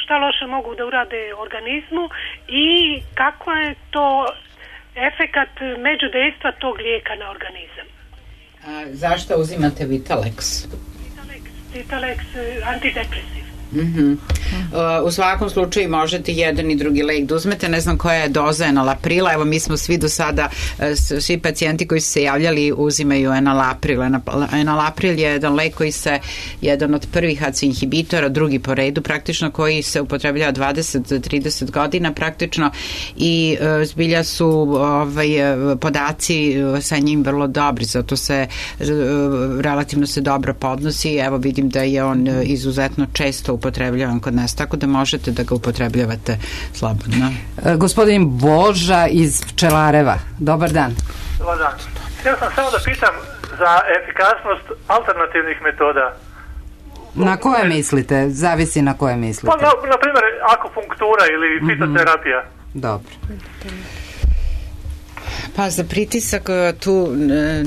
šta loše mogu da urade organizmu i kako je to efekat međudejstva tog lijeka na organizam? Zašto uzimate Vitalex? Vitalex antidepresiv. U svakom slučaju možete jedan i drugi lek da uzmete, ne znam koja je doza enalaprila, evo mi smo svi do sada, svi pacijenti koji su se javljali uzimaju enalapril. Enalapril je jedan lek koji se, jedan od prvih ACE inhibitora, drugi po redu praktično, koji se upotrebljava 20-30 godina praktično i zbilja su podaci sa njim vrlo dobri, zato se relativno se dobro podnosi, evo vidim da je on izuzetno često upotrebljavan kod nas, tako da možete da ga upotrebljavate slobodno. Gospodin Boža iz Pčelareva, dobar dan. Dobar dan. Htio sam samo da pitam za efikasnost alternativnih metoda. Na koje mislite? Zavisi na koje mislite. Pa, na primjer, akupunktura ili fitoterapija. Dobro. Pa za pritisak tu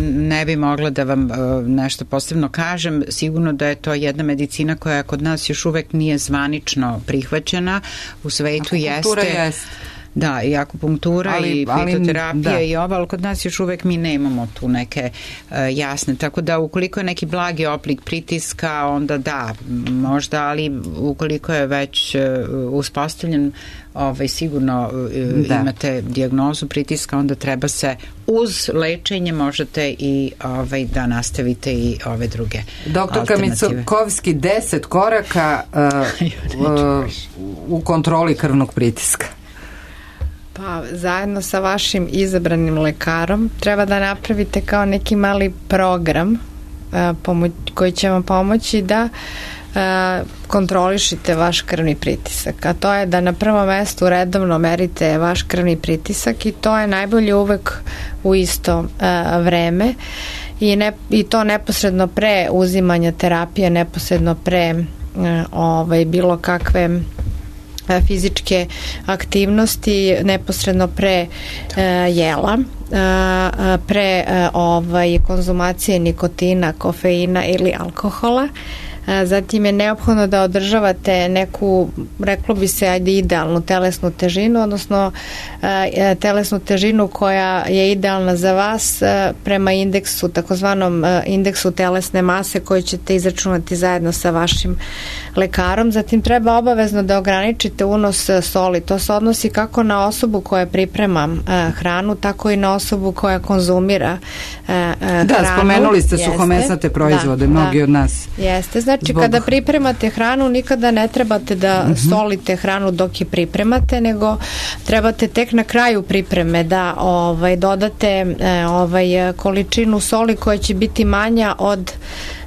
ne bi mogla da vam nešto posebno kažem. Sigurno da je to jedna medicina koja kod nas još uvek nije zvanično prihvaćena. U svetu jeste. Da, i akupunktura i fitoterapija i ova, ali kod nas još uvek mi nemamo tu neke jasne, tako da ukoliko je neki blagi oblik pritiska, onda da, možda, ali ukoliko je već uspostavljen, sigurno imate dijagnozu pritiska, onda treba se uz lečenje možete i da nastavite i ove druge Doktorka Micokovski, 10 koraka u kontroli krvnog pritiska. Pa zajedno sa vašim izabranim lekarom treba da napravite kao neki mali program koji će vam pomoći da kontrolišite vaš krvni pritisak, a to je da na prvom mestu redovno merite vaš krvni pritisak i to je najbolje uvek u isto vreme i to neposredno pre uzimanja terapije, neposredno pre bilo kakve fizičke aktivnosti, neposredno pre jela, pre konzumacije nikotina, kofeina ili alkohola. Zatim je neophodno da održavate neku, reklo bi se, idealnu telesnu težinu, odnosno telesnu težinu koja je idealna za vas prema indeksu, takozvanom indeksu telesne mase koju ćete izračunati zajedno sa vašim lekarom. Zatim treba obavezno da ograničite unos soli. To se odnosi kako na osobu koja priprema hranu, tako i na osobu koja konzumira hranu. Da, spomenuli ste suhomesnate proizvode, mnogi od nas. Jeste, znači kada pripremate hranu nikada ne trebate da solite hranu dok je pripremate, nego trebate tek na kraju pripreme da dodate količinu soli koja će biti manja od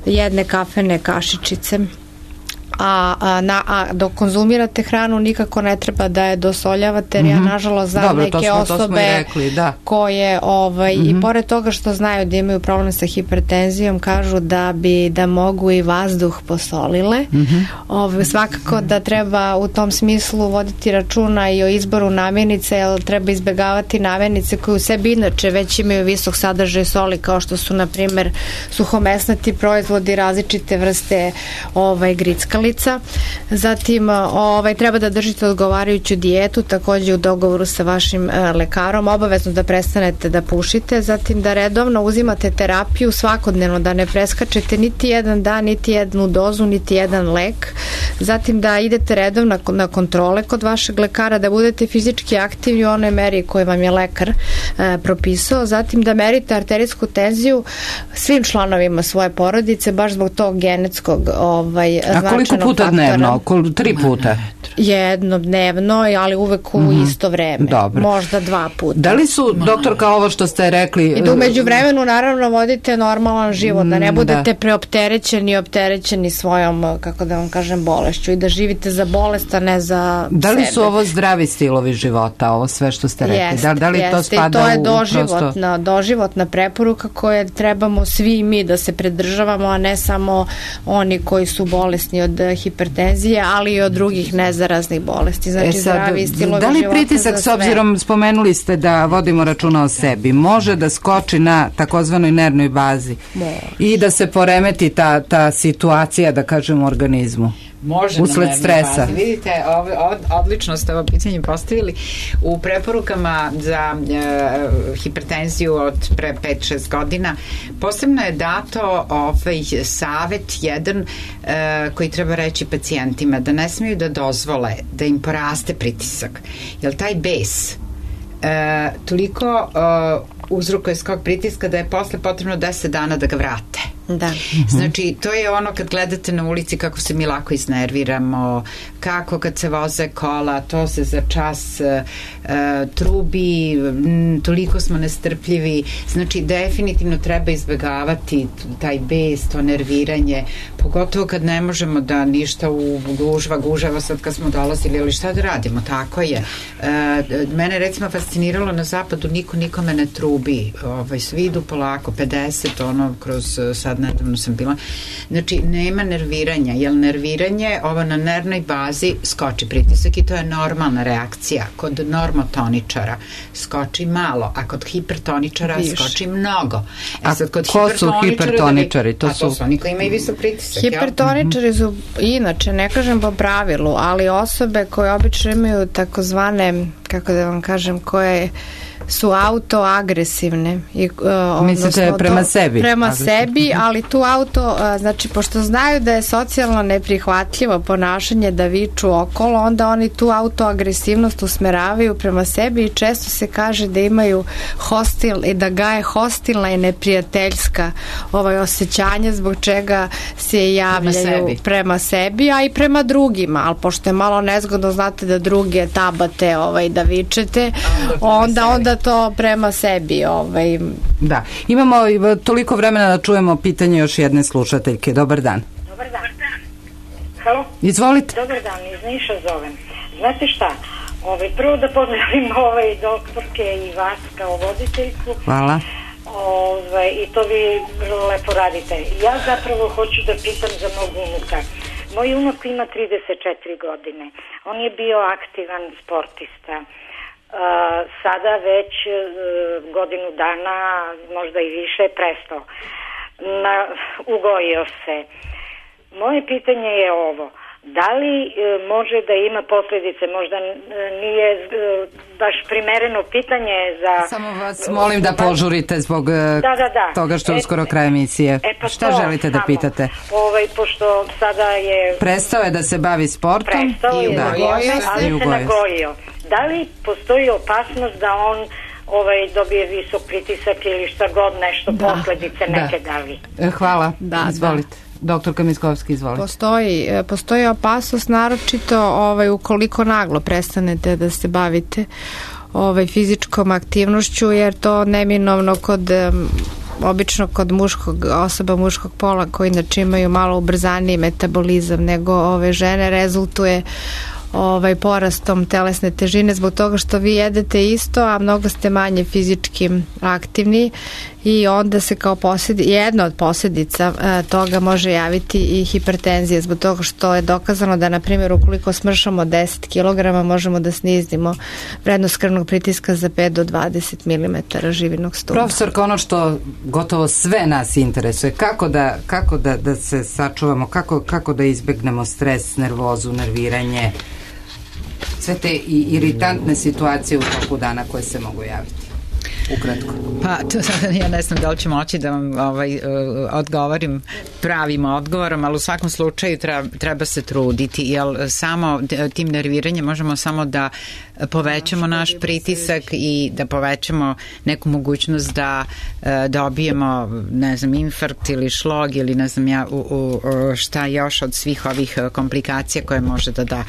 jedne kafene kašičice. A dok konzumirate hranu nikako ne treba da je dosoljavate, jer ja nažalost znam neke osobe koje i pored toga što znaju da imaju problem sa hipertenzijom, kažu da mogu i vazduh posolile. Svakako da treba u tom smislu voditi računa i o izboru namirnice, jer treba izbegavati namirnice koje u sebi inače već imaju visok sadržaj soli, kao što su na primjer suhomesnati proizvodi, različite vrste grickali. Zatim treba da držite odgovarajuću dijetu, također u dogovoru sa vašim lekarom, obavezno da prestanete da pušite, zatim da redovno uzimate terapiju svakodnevno, da ne preskačete niti jedan dan, niti jednu dozu, niti jedan lek, zatim da idete redovno na kontrole kod vašeg lekara, da budete fizički aktivni u onoj meri koju vam je lekar propisao, zatim da merite arterijsku tenziju svim članovima svoje porodice, baš zbog tog genetskog značajnog puta dnevno? 3 puta? Jedno dnevno, ali uvek u isto vreme. Dobro. Možda 2 puta. Da li su, doktorka, ovo što ste rekli... I da umeđu vremenu naravno vodite normalan život, da ne budete opterećeni svojom, kako da vam kažem, bolešću i da živite za bolest, a ne za sebe. Da li su ovo zdravi stilovi života, ovo sve što ste rekli? Da li to spada i to je doživotna preporuka koje trebamo svi mi da se pridržavamo, a ne samo oni koji su bolesni od hipertenzije, ali i od drugih nezaraznih bolesti. Znači zdravi stilovi života. Da li pritisak, s obzirom spomenuli ste da vodimo računa o sebi, može da skoči na takozvanoj nervnoj bazi i da se poremeti ta situacija, da kažem, u organizmu? Može usled stresa. Vidite, odlično ste ovo pitanje postavili. U preporukama za hipertenziju od pre 5-6 godina posebno je dato savet jedan koji treba reći pacijentima, da ne smiju da dozvole da im poraste pritisak, jer taj bes toliko uzrokuje skok pritiska da je posle potrebno 10 dana da ga vrate. Da. Znači, to je ono kad gledate na ulici kako se mi lako iznerviramo, kako kad se voze kola, to se za čas trubi, toliko smo nestrpljivi. Znači, definitivno treba izbegavati taj bes, to nerviranje, pogotovo kad ne možemo da ništa u gužava sad kad smo dolazili, ali šta da radimo, tako je. Mene recimo fasciniralo na zapadu, niko nikome ne trubi, svi idu polako, 50, kroz sad Sad nedavno sam bila. Znači, nema nerviranja, jer nerviranje, ovo na nervnoj bazi skoči pritisak i to je normalna reakcija. Kod normotoničara skoči malo, a kod hipertoničara skoči mnogo. Sad, kod ko su hipertoničari? To su oni koji imaju visok pritisak. Hipertoničari su, inače, ne kažem po pravilu, ali osobe koje obično imaju takozvane, kako da vam kažem, koje su autoagresivne. Mislite prema sebi? Prema sebi, ali tu znači, pošto znaju da je socijalno neprihvatljivo ponašanje da viču okolo, onda oni tu autoagresivnost usmeravaju prema sebi i često se kaže da imaju da gaje hostilna i neprijateljska osjećanja zbog čega se javljaju prema sebi, a i prema drugima, ali pošto je malo nezgodno, znate da druge tabate da vičete, onda to prema sebi. Da. Imamo toliko vremena da čujemo pitanje još jedne slušateljke. Dobar dan. Dobar dan. Halo? Izvolite. Dobar dan, iz Niša zovem. Znate šta? Prvo da pozdravim doktorke i vas kao voditeljku. Hvala. I to vi vrlo lepo radite. Ja zapravo hoću da pitam za mog unuka. Moj unuk ima 34 godine. On je bio aktivan sportista. Sada već godinu dana, možda i više, prestao. Ugojio se. Moje pitanje je ovo. Da li može da ima posljedice? Možda nije baš primereno pitanje za... Samo vas molim da požurite zbog toga što je uskoro kraj emisije. Šta želite da pitate? Pošto sada je... Prestao je da se bavi sportom. Prestao je, ali se nagojio. Da li postoji opasnost da on dobije visok pritisak ili šta god nešto, posljedice neke da li? Hvala, izvolite. Doktorka Miskovski, izvolite. Postoji opasnost, naročito ukoliko naglo prestanete da se bavite fizičkom aktivnošću, jer to neminovno obično kod osoba muškog pola koji inače imaju malo ubrzaniji metabolizam nego žene, rezultuje porastom telesne težine zbog toga što vi jedete isto, a mnogo ste manje fizički aktivni i onda se kao jedna od posljedica toga može javiti i hipertenzija zbog toga što je dokazano da, na primjer, ukoliko smršamo 10 kg možemo da snizimo vrednost krvnog pritiska za 5 do 20 mm živinog stuba. Profesorka, ono što gotovo sve nas interesuje, kako da se sačuvamo, kako da izbegnemo stres, nervozu, nerviranje, sve te iritantne situacije u toku dana koje se mogu javiti? Ukratko. Pa, ja ne znam da li ću moći da vam odgovorim pravim odgovorom, ali u svakom slučaju treba se truditi, jer samo tim nerviranjem možemo samo da povećamo naš pritisak i da povećamo neku mogućnost da dobijemo, ne znam, infarkt ili šlog ili ne znam ja šta još od svih ovih komplikacija koje može da da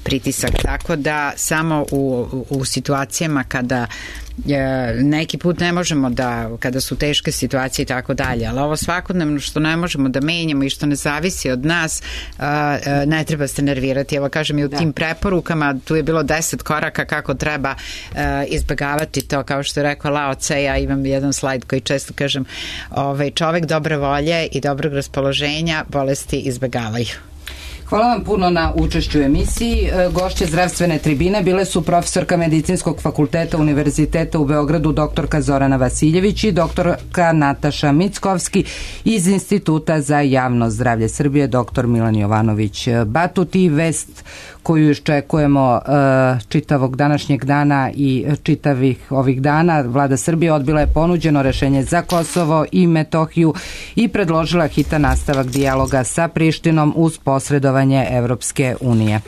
pritisak. Tako da samo u situacijama kada neki put ne možemo kada su teške situacije i tako dalje, ali ovo svakodnevno što ne možemo da menjamo i što ne zavisi od nas, ne treba se nervirati. Evo kažem i u tim preporukama tu je bilo 10 koraka kako treba izbegavati to, kao što je rekao Lao Tse. Ja imam jedan slajd koji često kažem, čovek dobre volje i dobrog raspoloženja bolesti izbegavaju. Hvala vam puno na učešću u emisiji. Gošće zdravstvene tribine bile su profesorka Medicinskog fakulteta Univerziteta u Beogradu doktorka Zorana Vasiljević i doktorka Nataša Mickovski iz Instituta za javno zdravlje Srbije doktor Milan Jovanović Batut. I vest koju iščekujemo čitavog današnjeg dana i čitavih ovih dana, Vlada Srbije odbila je ponuđeno rešenje za Kosovo i Metohiju i predložila hitan nastavak dijaloga sa Prištinom uz posredovanje Evropske unije.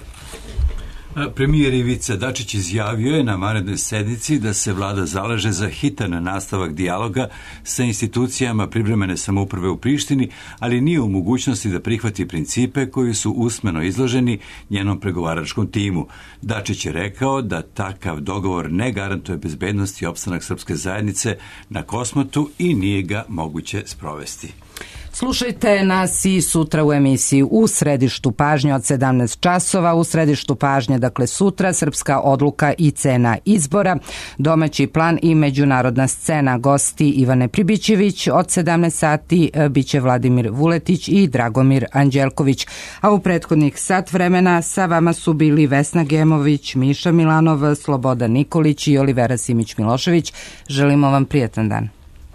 Premijer Ivica Dačić izjavio je na vanrednoj sednici da se vlada zalaže za hitan nastavak dijaloga sa institucijama privremene samouprave u Prištini, ali nije u mogućnosti da prihvati principe koji su usmeno izloženi njenom pregovaračkom timu. Dačić je rekao da takav dogovor ne garantuje bezbednost i opstanak srpske zajednice na Kosmetu i nije ga moguće sprovesti. Slušajte nas i sutra u emisiji U središtu pažnje od 17 časova. U središtu pažnje, dakle sutra, srpska odluka i cena izbora, domaći plan i međunarodna scena. Gosti Ivane Pribićević od 17 sati biće Vladimir Vuletić i Dragomir Anđelković. A u prethodnih sat vremena sa vama su bili Vesna Gemović, Miša Milanov, Slobodan Nikolić i Olivera Simić Milošević. Želimo vam prijatan dan.